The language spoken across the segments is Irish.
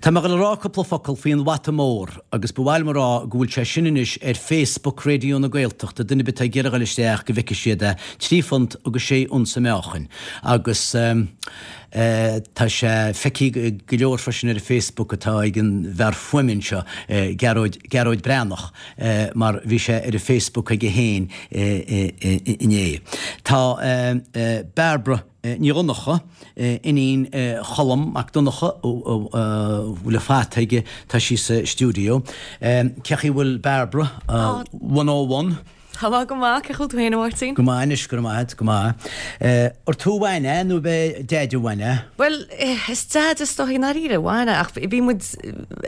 Tá mé ag dul a rá cúpla focal faoi an bhfata mór agus ba mhaith liom a rá go bhfuil sé sin anois ar Facebook Raidió na Gaeltachta, duine ar bith atá ag iarraidh a dhul isteach go bhfeicfidh siad é, 3 phunt agus 6 unsa meáchain agus tá sé feicthe ag go leor freisin ar an Facebook atá ag an bhfear fuaime anseo, Gearóid, Gearóid Breathnach mar bhí sé ar an Facebook aige féin inné. Tá Bairbre. Ní Dhonncha, iníon Cholm Mac Donncha, a bhfuil an fata aige, tá sí sa stiúideo. Cén chaoi a bhfuil Bairbre? 101. Tá mé go maith, cén chaoi a bhfuil tú féin a Mháirtín? Go maith anois, go raibh maith agat, go maith. Ar tú a bhain é nó ab é Deaide a bhain é? Bhuel, is Deaide is dóichí i ndáiríre a bhain é, ach bhí muid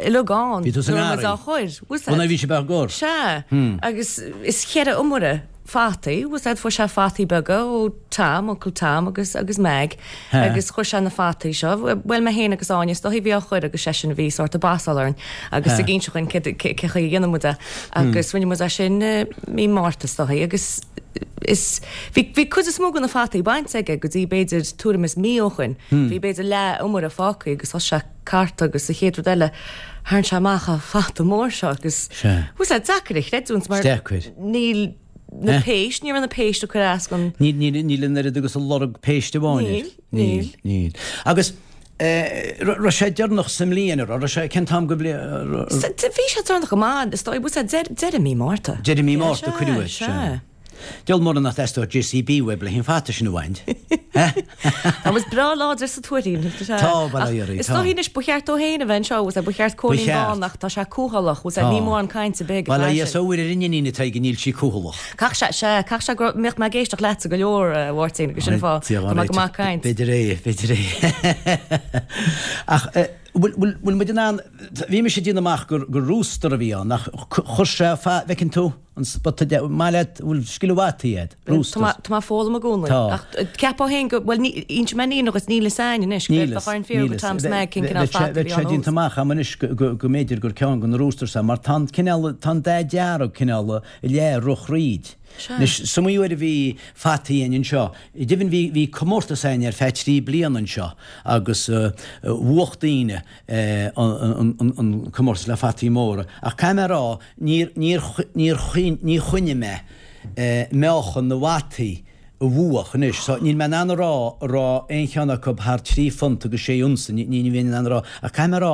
uilig ann. Bhí tú sa ngarraí? Nuair a bhí muid á chur, bhfuil Bhuel, bhí sibh á gcur? Sea, agus is cheithre iomaire. fataí, bhfuil 's a'd, fuair sé fataí beaga ó Tom, Uncle Tom agus agus Meg agus chuir sé na fataí seo, bhuel mé féin agus Áine is dóichí a bhí á chur agus seisean a bhí sórt ag bassáil orainn agus ag inse dhúinn cé cé chaoi a dhéanann muid é agus rinne muid é sin i mí Márta is dóichí agus is bhí bhí cuid is mó de na fataí bainte aige go dtí b'fhéidir tuairim is mí ó shoin, bhí b'fhéidir leath iomaire fágtha agus thosaigh sé cartadh agus an chéad rud eile tharraing sé amach an fata mór seo agus bhfuil 's a'd deacair a chreidiúint mar Deacair. níl na péist, ní raibh na péist ag cur as don. Níl, níl, níl an oiread agus a lorg péiste amháin air. Níl, níl. Níl. Agus raibh sé deireanach sa mbliain, an raibh? Raibh sé, cén t-am go bhliain? Bhí sé deireanach go maith, is dóigh, bhfuil 's a'd, deireadh mí Márta. Deireadh mí Márta cuireadh é, sea. Diabhal mura nach dteastódh JCB uaibh le an fata sin a bhaint. Tá muid breá láidir sa Tuairín. Tá, bail ó Dhia oraibh, Is dóichí anois ba cheart dó féin a bheith anseo, bhfuil 's a'd, ba cheart Cóilín Bán ach tá sé cúthalach, bhfuil 's a'd, ní mórán cainte ar bith ag an Bail ó Dhia is ó Mhuire ar an iníon atá aige, níl sí cúthalach. Caithfidh sé, sea, caithfidh sé go mbeadh mé ag éisteacht leatsa go leor, a Mháirtín, agus sin an fáth, tá mé go maith ag caint. B'fhéidir é, b'fhéidir é. Ach bhfuil muid in ann, bhí mise ag déanamh amach gur rooster a bhí ann, ach chuir sé, bhfeiceann tú? An spota de, maith leat, bhfuil scil mhaith agat, roosters. Tá mé ag foghlaim i gcónaí. Tá. Ach ceapfá féin go, bhuel, inseoidh mé iníon dhuit, níl fhios a'inn anois, Níl bheadh orainn fiafraí de Tom 's Meg cén cineál fata a bhí ann Bheadh sé déanta amach a'm anois go mb'fhéidir gur ceann de na roosters é, mar tá an cineál, tá an dath dearg cineál i leith rith thríd. Sea. Anois, is iomaí uair a bhí fataí a'inn anseo. Deimhin bhí, bhí comórtas a'inn ar feadh trí bliana anseo agus bhuach daoine an comórtas le fataí móra. Ach caithfidh mé a rá, Níor, níor, níor, ní choinnigh mé meáchan na bhfataí a bhuach anois so níl mé in ann a rá an raibh aon cheann acu thar 3 phunt agus 6 unsa, ní, ní bheinn in ann a rá. Ach caithfidh mé a rá,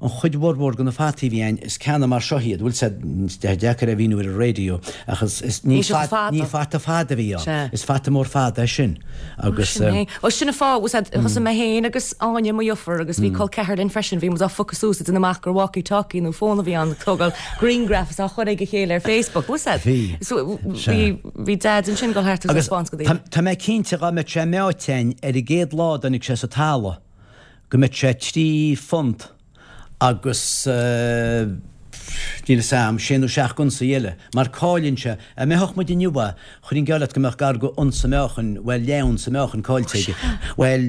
an chuid mhórmhór de na fataí a bhí ann, is ceanna mar seo iad, bhfuil 's a'd, is deacair é a mhíniú ar an raidió ach is, is, ní Ní fata fada. ní fata fada a bhí ann. Sea. Is fata mór fada é sin agus. Sin é. Bhuel sin an fáth, bhfuil 's a'd, thosaigh mé féin agus Áine, mo dheirfiúr, agus bhí col ceathar linn freisin, bhí muid á phiocadh suas ag déanamh amach gur walkie talkie nó fón a bhí ann, ag tógáil grianghraf is á chur ag a chéile ar Facebook, bhfuil 's a'd? Bhí. So bhí, bhí Deaid ansin ag dul thart agus ag taispeáint go daoine. Tá mé cinnte dhá mbeadh sé meáite a'inn ar an gcéad lá a dtáinig sé sa talamh go mbeadh sé £3 agus níl 'fhios a'm, sé nó seacht unsaí eile, mar cailleann sé, dá mheáfadh muid inniu é, chuirfinn geall leat go mbeadh gar go unsa meáchain, bhuel leath-unsa meáchain caillte aige. Bhuel,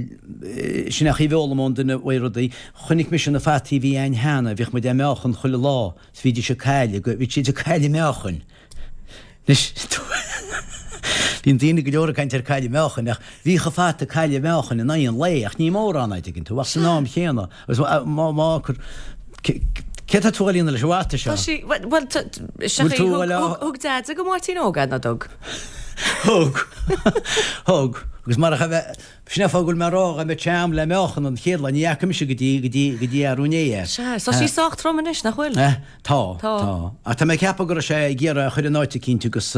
sin é an chaoi a bhfoghlaim ón duine uaidh rudaí. Chonaic mise na fataí a bhí a'inn cheana, bhíodh muid á meáchan chuile lá, 's bhídís ag cailleadh, bhí siad ag cailleadh meáchain. Anois, bíonn daoine go leor ag caint ar cailleadh meáchain, ach bhíodh an fata ag cailleadh meáchain in aghaidh an lae, ach ní mórán, a' dtuigeann tú, ach san am chéanna, agus má, má, cé tá tú a dhéanamh leis an bhfata seo? Tá sí, bhuel, Bhfuil tú a thug, thug Deaid go Máirtín Óg é, ná dtug? Thug, thug, agus marach a bheith, sin é fáth go bhfuil mé ag rá dá mbeadh sé a'm le meáchan an chéad lá, ní fhaca mise go dtí, go dtí, go dtí arú inné é. Sea, tá sí sách trom anois, nach bhfuil? Tá, tá. Ach tá mé ag ceapadh go raibh sé ag iarraidh a chur in áit eicínt agus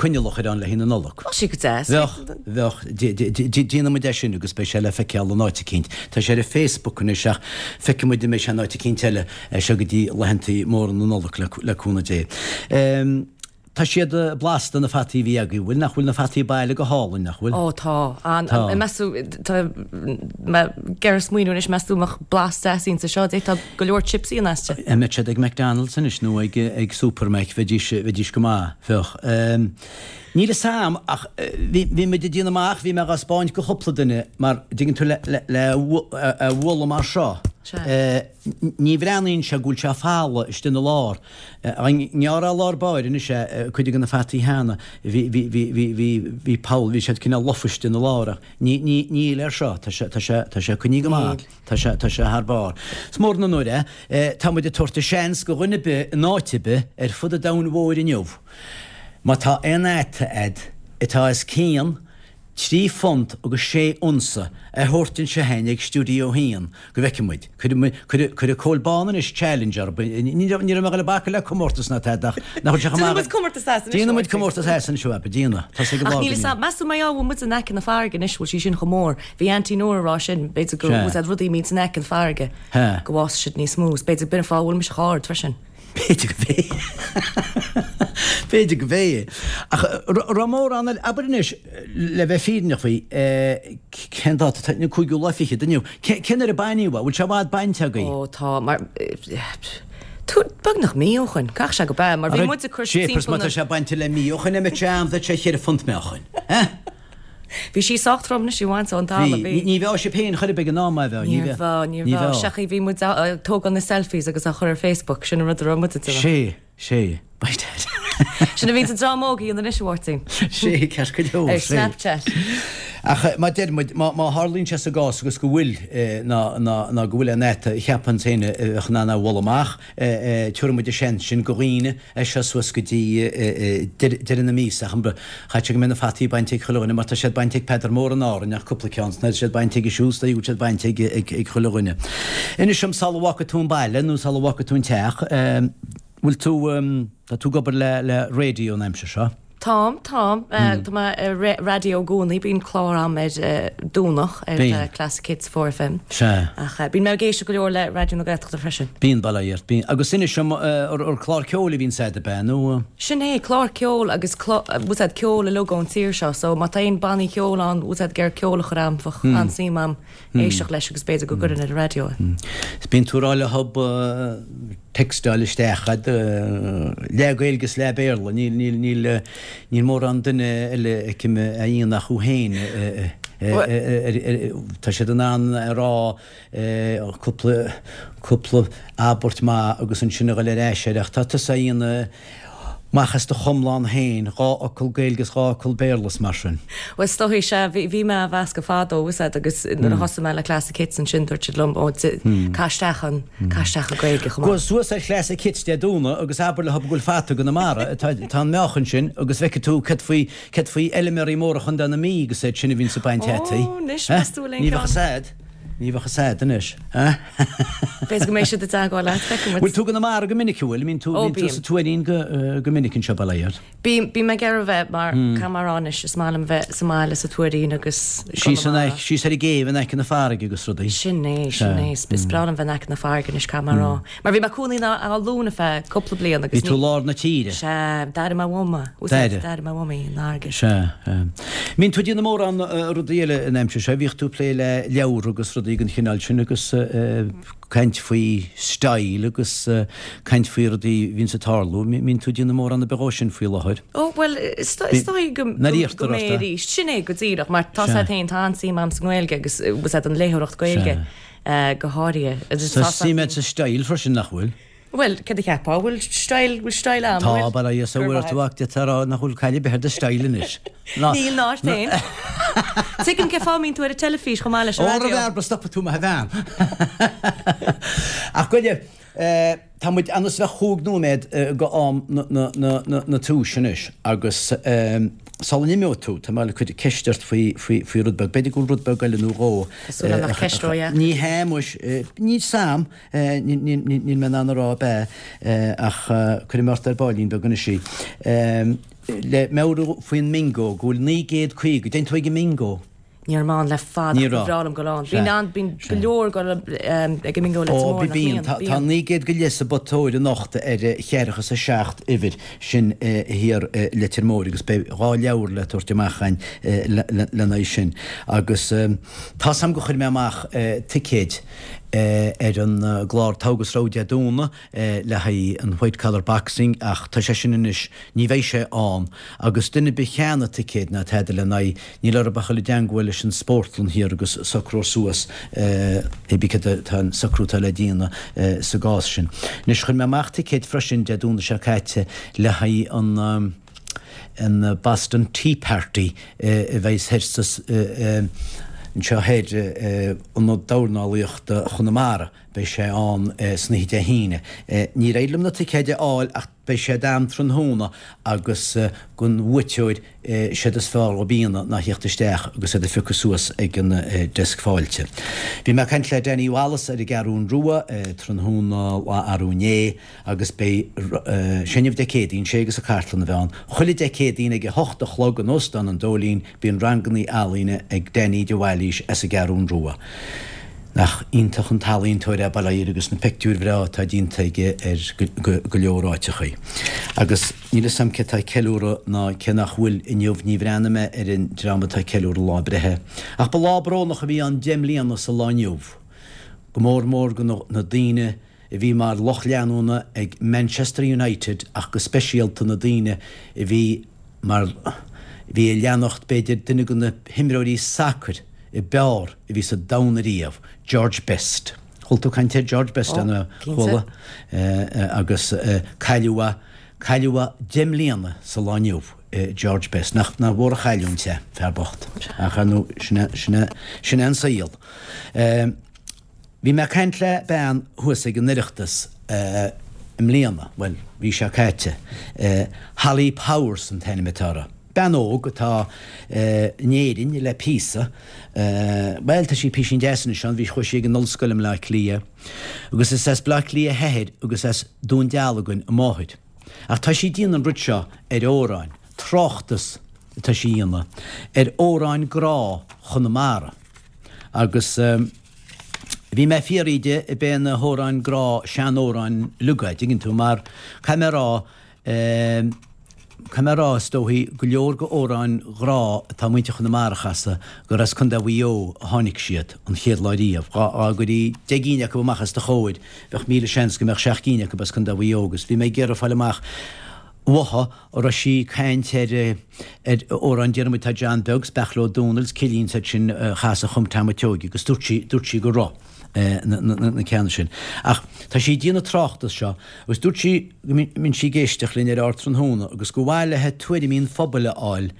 coinneal a chur ann le haghaidh na Nollag. Tá sé go deas. Bheadh, bheadh. Déanfaidh muid é sin agus beidh sé le feiceáil in áit eicínt. Tá sé ar an Facebook anois ach feicfidh muid an mbeidh sé in áit eicínt eile seo go dtí laethantaí móra na Nollag le cúnamh Dé. Tá siad blasta, na fataí a bhí agaibh, bhfuil? Nach bhfuil na fataí baile go hálainn, nach bhfuil? Ó tá. An, Tá. meas tú, tá mé ag iarraidh smaoineamh anois, meas tú an mbeadh blas deas insa seo, d'fhéadfá go leor chipsy a dhéanamh aisti. An mbeadh siad ag McDonald's anois nó ag, ag Supermac, bheidís, bheidís go maith, bheadh. Níl fhios a'm ach bhí, bhí muid ag déanamh amach, bhí mé dhá spáint go chúpla duine mar, dtuigeann tú, le, le, le a bhualadh mar seo. Ní bhreathnaíonn sé go bhfuil sé folamh istigh ina lár. Dá ngearrfá i lár báire anois é, cuid de na fataí cheana, bhí, bhí, bhí, bhí, bhí, bhí poll, bhí siad cineál lofa istigh ina lár ach ní, ní, níl air seo, tá sé, tá sé, tá sé coinnithe go maith, tá sé, tá sé thar barr. Is mór an onóir é. Tá muid ag tabhairt an seans go dhuine ar bith in áit ar bith ar fud an domhain mhóir inniu, má tá aon fhata a'd atá os cionn 3 phunt agus 6 unsa a thabhairt anseo chugainn ag Stiúideo 1 go bhfeicfidh muid. Cuirfidh Cóil Bán anois challenge orthu. Ní raibh mé ag dul ag bacadh le comórtas ná tada ach nach bhfuil sé chomh maith. Déanfaidh muid comórtas as anois. Déanfaidh muid comórtas as anseo, abair, déanfaidh. Tá sé ag an Ach níl fhios a'm, meas tú mar gheall bhfuil muid in aice na farraige anois, bhfuil sí sin chomh mór. Bhí Auntie Nóra ag rá sin, b'fhéidir go bhfuil siad rudaí a mbíonns in aice an farraige go bhfásfaidh siad níos mó. Is b'fhéidir b'in an fáth a bhfuil mise chomh hard freisin. B'fhéidir go b'é. B'fhéidir go b'é. Ach raibh mórán eile, abair anois, le bheith fírinneach faoi, cén dáta atá, an cúigiú lá fichead inniu, cén uair a baineadh é? Bhfuil sé i bhfad bainte agaibh? Ó tá, mar, tú, beagnach mí ó shoin, caithfidh sé go b'ea, mar bhí muid ag cur timpeall na. Má tá sé bainte le mí ó shoin, an mbeadh sé ann, bheadh sé cheithre phunt meáchain. Eh? Bhí sí sách trom anois í bhaint ón talamh, bhí. Ní bheadh sibh féin chor ar bith ag an am, a bheadh? Ní bheadh, ní bheadh. Seachas bhí muid ag tógáil na selfies agus á chur ar Facebook, sin an rud a raibh muid ag déanamh. Sé, sé, by dad. Sin a bhíonns an dream óg a dhéanamh anois, a Mháirtín. Sé, ceart go leor, sé. Ar Snapchat. Ach mar a deir muid, má tharlaíonn sé sa gcás agus go bhfuil, ná, ná, ná go bhfuil an fhata a cheapann féin a bheadh in ann é a mholadh amach, Tabharfaidh muid an seans sin go dhaoine as seo suas go dtí deireadh na míosa ach caithfidh sé go mbeidh na fataí bainte ag chuile dhuine mar tá siad bainte ag Peadar Mór in Árainn ach cúpla ceann, tá siad bainte aige siúd, tá siad bainte ag chuile dhuine. Inis dom sula bhfágfaidh tú an baile nó sula bhfágfaidh tú an teach, bhfuil tú, tá tú ag obair le raidió an aimsir seo? Táim, táim. Tá mé ar raidió i gcónaí, bíonn clár a'm ar Domhnach ar Classic Hits 4FM. Sea. Ach bíonn mé ag éisteacht go leor le Raidió na Gaeltachta freisin. Bíonn, bail ó Dhia ort, bíonn. Agus inis dom, ar clár ceoil a bhíonns a'd, ab ea, nó? Sin é, clár ceoil agus bhfuil 's a'd ceol uilig ón tír seo, so má tá aon bannaí ceoil ann, bhfuil 's a'd ag iarraidh ceol a chur a'm, bheadh an-suim a'm éisteacht leis agus b'fhéidir go gcuirfinn ar an raidió é. Bíonn tú ag rá le hob textáil isteach a'd, leath Gaeilge is leath Béarla, níl, níl, níl, níl mórán duine eile a fheicim a dhéanann ach thú féin, tá siad in ann a rá cúpla, cúpla abairt maith agus ansin a dhul ar ais air ach tá tusa a dhéanamh amach as do chomlán féin, dhá fhocal Gaeilge is dhá fhocal Béarla is mar sin. Bhuel, is dóigh, sea, bhí, bhí mé á mheascadh fadó, bhfuil 's a'd, agus nuair a thosaigh mé le Classic Hits ansin, dúirt siad liom, ó, caith isteach an, caith isteach an Ghaeilge chomh maith. Gabh suas ar Classic Hits Dé Domhnaigh agus abair leo go bhfuil fata i gConamara, tá, tá an meáchan sin agus feicfidh tú céard faoi, céard faoi fheilméaraí móra Chontae na Mí agus iad sin a bhíonns ag baint fhataí. Ó, anois, meas tú an bhfuil aon Ní bheadh 'fhios a'd. Ní bheadh 'fhios a'd anois. B'fhéidir go mbeidh siad i dteagmháil leat, feicfidh muid. Bhfuil tú i gConamara go minic, an bhfuil? Mbíonn tú, Ó, bíonn tú bím. sa Tuairín go, go minic anseo, bail ó Dhia ort. Bím, bím ag iarraidh a bheith mar, caithfidh mé a rá anois, is maith liom bheith sa mbaile sa Tuairín agus i Síos in gConamara. aice, síos ar an gcéibh in aice na farraige agus rudaí. Sin é, sin é. Is, is breá liom bheith in aice na farraige anois, caithfidh mé a rá. Mar bhí mé ag cónaí in Áth Luain ar feadh cúpla bliain agus Bhí tú i lár na tíre. Sea, d'airigh mé uaim é. D'airigh. D'airigh mé uaim í, an fharraige. Sea. Mbíonn tú ag déanamh mórán rudaí eile an aimsir seo. Bhíodh tú ag plé le leabhar agus rudaí den chineál sin agus caint faoi style agus caint faoi rudaí a bhíonns ag tarlú. Mbíonn tú ag déanamh mórán ar bith dhó sin faoi láthair. Ó, bhuel, is dóigh go mbeidh arís. Sin é go díreach, mar tá 's a'd féin, tá an-suim a'm sa nGaeilge agus bhfuil 's a'd an léitheoireacht Gaeilge. go háirithe. Tá suim a'd sa style freisin, nach bhfuil? Bhuel, céard a cheapfá? Bhfuil style, bhfuil style a'm, Tá, bhfuil? bail ó Dhia ort, bhfuil ort a mhac d'fhéadfá a rá nach bhfuil caill ar bith ar do style anois. Níl ná ort féin. Tuigim cén fáth a mbíonn tú ar an teilifís chomh maith leis an Ó, raidió. a bhearba, stopfaidh tú mé a bhean. Ach gabh i leith, Tá muid anuas le chúig nóiméad go am na túis anois agus sula n-imeoidh tú, tá mé le cur ceist ort faoi rud beag. B'fhéidir go bhfuil rud beag eile nó dhó. Tá súil agam nach ceist ródheacair. Ní hea, muis, níl 's a'm, níl mé in ann a rá ab ea, ach cuirfidh mé ort ar báillín beag anois í. Le meabhrú faoin mbingo, go bhfuil 950, dtéann tú ag an mbingo? Ní raibh mé ann le fada Ní ach ba raibh. bhreá liom dul ann. Sea. Bíonn an, bíonn go Sea. leor ag dul ag an mbingo Leitir Ó, Móir, bí, nach bíonn. mbíonn? Tá, tá Bíonn. 900 go leith sa bpotóir anocht ar cheathracha is a seacht uimhir, sin thiar i Leitir Móir agus beidh dhá leabhar le tabhairt amach againn lena aghaidh sin. Agus tá's a'm gur chuir mé amach ticéid. ar an gclár Togha agus Rogha Dé Domhnaigh le haghaidh an White Collar Boxing ach tá sé sin anois, ní bheidh sé ann agus duine ar bith a cheannaigh ticéad ná tada lena aghaidh, níl orthu ach dul i dteangmháil leis an spórtlann thiar agus socrófar suas hé bí céard atá an socrú atá le déanamh sa gcás sin. Anois chuir mé amach ticéid freisin Dé Domhnaigh seo caite le haghaidh an an Boston Tea Party a bheidh thoir sa anseo thoir Ionad Dornálaíochta Chonamara. Beidh sé ann san oíche Dé hAoine. Níor éirigh liom na ticéid a fháil ach beidh siad a'm tráthnóna agus don bhuaiteoir séard is fearr dhób a dhéanamh ná thíocht isteach agus iad a phiocadh suas ag an deasc fáilte. Bhí mé ag caint le Danny Wallace ar an gCeathrún Rua tráthnóna lá arú inné. Agus beidh, sé inniu Dé Céadaoin, sé agus an chartlann a bheidh ann. Chuile Dé Céadaoin ag a hocht a chlog in Óstán an Dóilín bíonn rangannaí ealaíne ag Danny de Bhailís as an gCeathrún Rua. Nach iontach an t-ealaíontóir é bail ó Dhia air agus na peictiúir bhreá atá déanta aige ar go leor áiteachaí. Agus níl fhios a'm cé atá ag ceiliúradh ná cé nach bhfuil inniu, ní bhreathnaigh mé ar an dream atá ag ceiliúradh lá breithe. Ach ba lá brónach a bhí ann 10 mbliana sa lá inniu. Go mór mór go na daoine a bhí mar lucht leanúna ag Manchester United ach go speisialta na daoine a bhí mar bhí ag leanacht b'fhéidir duine de na himreoirí sacair a b'fhearr a bhí sa domhan ariamh, George Best. Chuala tú caint ar George Best, an chuala? Agus cailleadh é, cailleadh é 10 mbliana sa lá inniu, George Best. Nach mhór an chailliúint é, fear bocht. Ach ar ndóigh, sin é, sin é, sin é an saol. Bhí mé ag caint le bean thuas ag an Oireachtas i mbliana, bhuel, mhí seo caite, Holly Powers an t-ainm atá uirthi. Bean óg atá in Éirinn le píosa, bhuel, tá sí písín deas anois ann, bhí, chuaigh sí ag an ollscoil i mBleá Cliath, agus is as Bleá Cliath a hathair agus as Dún Dealgan a máthair. Ach tá sí ag déanamh an rud seo ar amhráin, tráchtas atá sí a dhéanamh ar amhráin grá Chonamara agus. Bhí mé ag fiafraí di ab é na hamhráin grá sean-amhráin uilig a' dtuigeann tú, mar caithfidh mé a rá, caithfidh mé a rá is dóichí go leor go amhráin ghrá atá muintir Chonamara a chasadh gur as Contae Mhaigh Eo a tháinig siad an chéad lá riamh. Dhá gcuirí 10 gcinn acu amach os do chomhair bheadh 1000 seans go mbeadh 7 gcinn acu as Contae Mhaigh Eo agus bhí mé ag iarraidh fáil amach uaithi an raibh sí ag caint ar ar amhrán Diarmuid Tá John Beag 's Beach Leo Dónaill 's Cillín 's iad sin a chas a chum Tom a' tSeoighe agus dúirt sí dúirt sí go raibh na na ceanna sin. Ach tá sí ag déanamh tráchtas seo agus dúirt sí go mbíonn sí ag éisteacht linn ar Ardtráthnóna agus gur mhaith léi tuairimí an phobail a fháil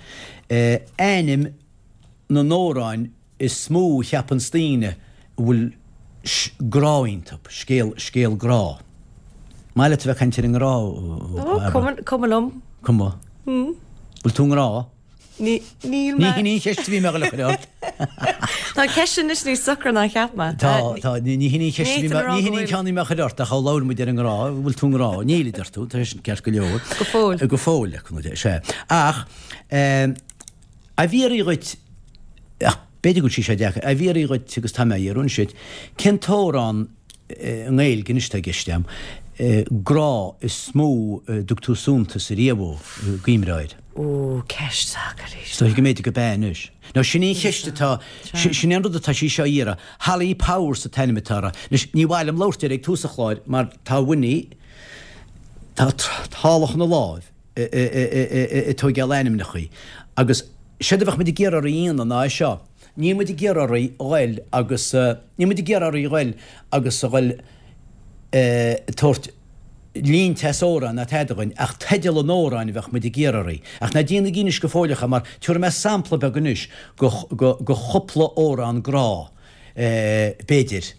ainm na n-amhráin is mó a cheapanns daoine a bhfuil grá iontu, scéal, scéal grá. Maith leat a bheith ag caint ar an ngrá, a Bhairbre? Cuma liom. Cuma? Bhfuil tú i ngrá? Ní, níl mé. Ní hin í an cheist a bhí mé ag dul a chur ort. Tá an ceist anois níos socra ná a cheap mé. Tá, tá, ní hin í an cheist a bhí mé, ní hin í an ceann a bhí mé a chur ort ach ó labhair muid ar an ngrá, bhfuil tú i ngrá? Níl, a deir tú, tá sé sin ceart go leor. Go fóill. Go fóill, sea. Ach, eh, Á bhfiafraí dhuit, ach b'fhéidir go bhfuil sí seo deacair, á bhfiafraí dhuit agus tá mé á iarraidh anois duit, cén t-amhrán i nGaeilge anois atá i gceist agam, grá is mó a dtug tú suntas ariamh ó, gcuimhneá air? Ó, ceist deacair í seo. Is dóiche go mb'fhéidir go b'ea anois. Nó sin í an cheist atá, sin é an rud atá sí seo a iarraidh. Holly Powers an t-ainm atá uirthi. Anois, ní mhaith liom labhairt air ag tús an chláir mar tá Winnie, tá tálach ina láimh. ag tóigeáil ainmneachaí. Agus séard a bheadh muid ag iarraidh oraibh a dhéanamh ná é seo, níl muid ag iarraidh oraibh a ghoil agus, níl muid ag iarraidh oraibh a ghoil agus a ghoil ag tabhairt línte as amhrán ná tada dhuinn, ach teideal an amhráin a bheadh muid ag iarraidh oraibh. Ach ná déanaigí anois go fóilleach é mar tabharfaidh mé sampla beag anois go, go, go chúpla amhrán grá. b'fhéidir,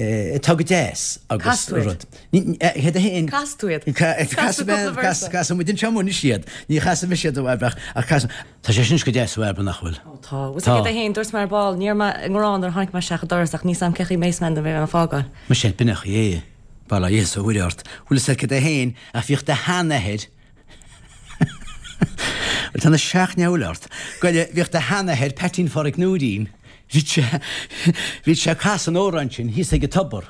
atá go deas agus Cas tú iad. rud. Céard é féin? Cas tú iad. Cas tú cúpla véarsa. Casfaidh muid anseo anois iad. Ní chasfaidh mise iad a Bhairbre ach cas. Tá sé sin go deas a Bhairbre nach bhfuil? Ó tá. Bhfuil Tá. céard é féin, dúirt mé ar ball, ní raibh mé i ngrá nuair a tháinig mé isteach an doras ach níl 's a'm cén chaoi mbeidh mé nuair a bheidh mé ag fágáil. Muise, b'in é an chaoi é. Bail ó Dhia is ó Mhuire ort. Bhfuil fhios a'd céard é féin ach bhíodh do sheanathair Bhuel, tá na seachneabhail ort. Goile, bhíodh do sheanathair, Peaitín Phádraic Nóirín, bhíodh sé, bhíodh sé ag casadh an amhráin sin thíos ag an tobar.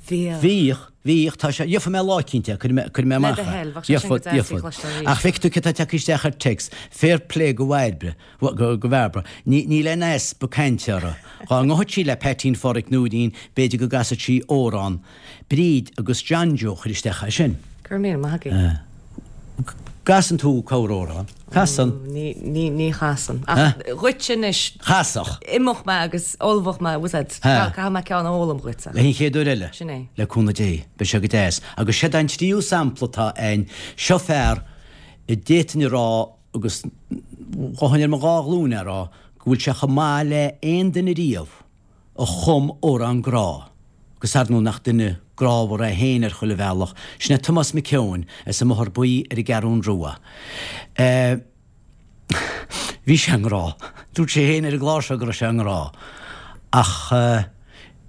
Bhíodh. Bhíodh, bhíodh, tá sé, gheobhaidh mé lá eicínt é, cuirfidh mé, cuirfidh mé Le amach do é. thoil, bheadh sé sin go Gheobhad, deas í gheobhad. chloisteáil arís. Ach feicfidh tú cé tá tagtha isteach ar text, fair play go Bhairbre, go, go Bhairbre. Ní, níl aon easpa cainte uirthi. Dá ngabhfadh sí le Peaitín Pháraic Nóirín, b'fhéidir go gcasfadh sí amhrán. Bríd agus John Joe chuir isteach é sin. Go raibh míle maith agaibh. Casann tú corr-amhrán. Casann. Ní, ní, ní chasann. Ach dhuit anois. Chasfadh. Imeoidh mé agus ullmhóidh mé, bhfuil a fhios a'd. Caithfidh mé ceann a fhoghlaim dhuit. Le an chéad uair eile. Sin é. Le cúnamh Dé. Beidh sé go deas. Agus séard é an tríú sampla atá a'inn. Seo fear a d'fhéadfainn a rá agus ghabhfainn ar mo dhá ghlúin a rá go bhfuil sé chomh maith le aon duine riamh. a chum amhrán grá, agus ar ndóigh nach duine grámhar é féin ar chuile bhealach, sin é Tomás Mac Eoin as an mBóthar Buí ar an gCeathrún Rua. Bhí sé i ngrá. Dúirt sé féin ar an gclár seo go raibh sé i ngrá. Ach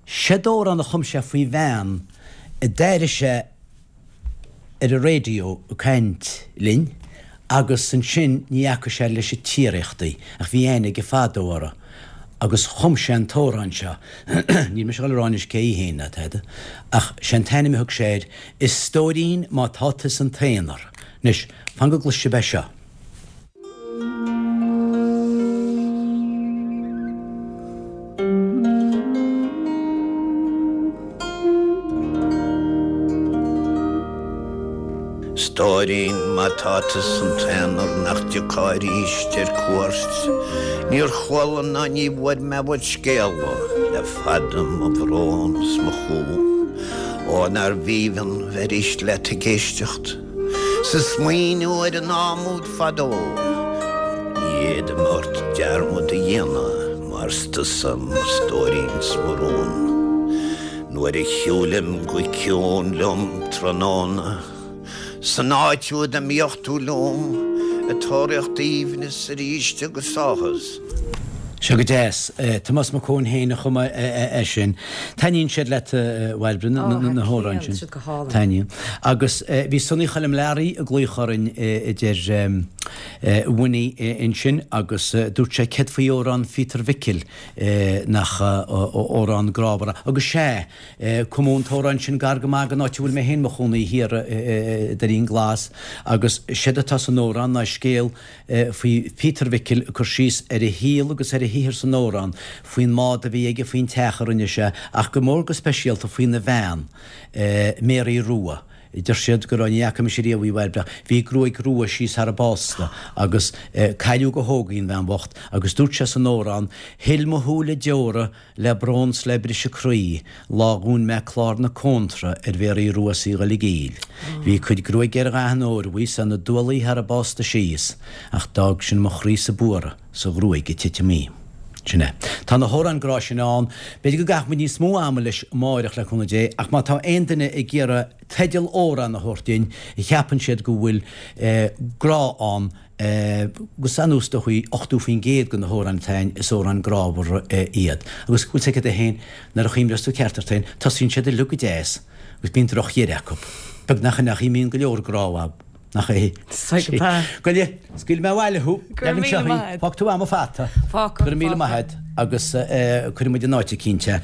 séard amhrán a chum sé faoi bhean a d'airigh sé ar an raidió ag caint linn agus ansin ní fhaca sé leis an tsíoraíocht í ach bhí aithne aige fadó uirthi agus chum sé an t-amhrán seo. Níl mise ag dul a rá anois cé hí féin ná tada ach sé an t-ainm a thug sé air, A Stóirín má tá tú san t-aonar. Anois, fan go gcloisfidh sibh é seo. Stóirín, má tá tú san t-aonar nach dtiocfá arís ar cuairt, níor chuala ná ní bhfuair mé uait scéala le fada mo bhrón 's mo chumha. Ó nár bh'aoibhinn bheith arís leat ag éisteacht. 'S ag smaoineamh ar an am úd fadó, ní fhéadaim ort dearmad a dhéanamh mar 's tusa mo stóirín 's mo rún. Nuair a shiúlaim go ciúin liom tráthnóna, san áit úd a mbíodh tú liom, ag tóraíocht aoibhneas arís agus áthas. Seo go deas. Tomás Mac Eoin féin a chum é sin. Taitníonn siad leat, a Bhairbre, na hamhráin sin? Taitníonn siad go hálainn. Taitníonn. Agus bhí Sonny Choilm Learaí ag glaoch orainn, a deir Winnie ansin, agus dúirt sé céard faoi amhrán Phíotair Mhicil, nach amhrán grámhar é. Agus sea, cumadh an t-amhrán sin gar go maith don áit a bhfuil mé féin i mo chónaí thiar i Doirín Glas, agus séard atá san amhrán ná scéal faoi Phíotar Mhicil ag cur síos ar a shaol agus ar a shaothar san amhrán, faoin mbád a bhí aige, faoin teach a rinne sé, ach go mór go speisialta faoina bhean, Mary Rua. Deir siad go raibh, ní fhaca mise riamh í a Bhairbre, ach bhí gruaig rua síos thar a básta agus cailleadh go hóg í an bhean bhocht agus dúirt sé san amhrán, Shil mo shúile deora Le brón 's le briseadh croí, lá dhún mé clár na cóntra ar Mhéaraí Rua 's í dhul i gcill. Bhí a cuid gruaige ar dhath an óir bhuí 's ina dualaí thar a básta síos, ach d'fhág sin mo chroí-sa buartha 's a ghruaig ag titim í. Sin é. Tá na hamhráin grá sin ann. B'fhéidir go gcaithfidh muid níos mó ama leis amáireach le cúnamh Dé, ach má tá aon duine ag iarraidh teideal amhrán a thabhairt dúinn a cheapann siad go bhfuil grá ann, Agus anuas is dóichí 80% de na hamhráin atá ann, is amhráin grámhara iad. Agus bhfuil 's agat féin, nuair a chuimhneos tú ceart ort féin, tosaíonn siad uilig go deas agus bíonn drochdheireadh acu. Beagnach in ach imíonn go leor grá uathu, nach é? Gabh i leith, scaoilfidh mé abhaile thú. Go raibh míle maith agat. Fágfaidh tú a'm an fata. Fágfaidh. Go raibh míle maith agat agus cuirfidh muid in áit eicínt é.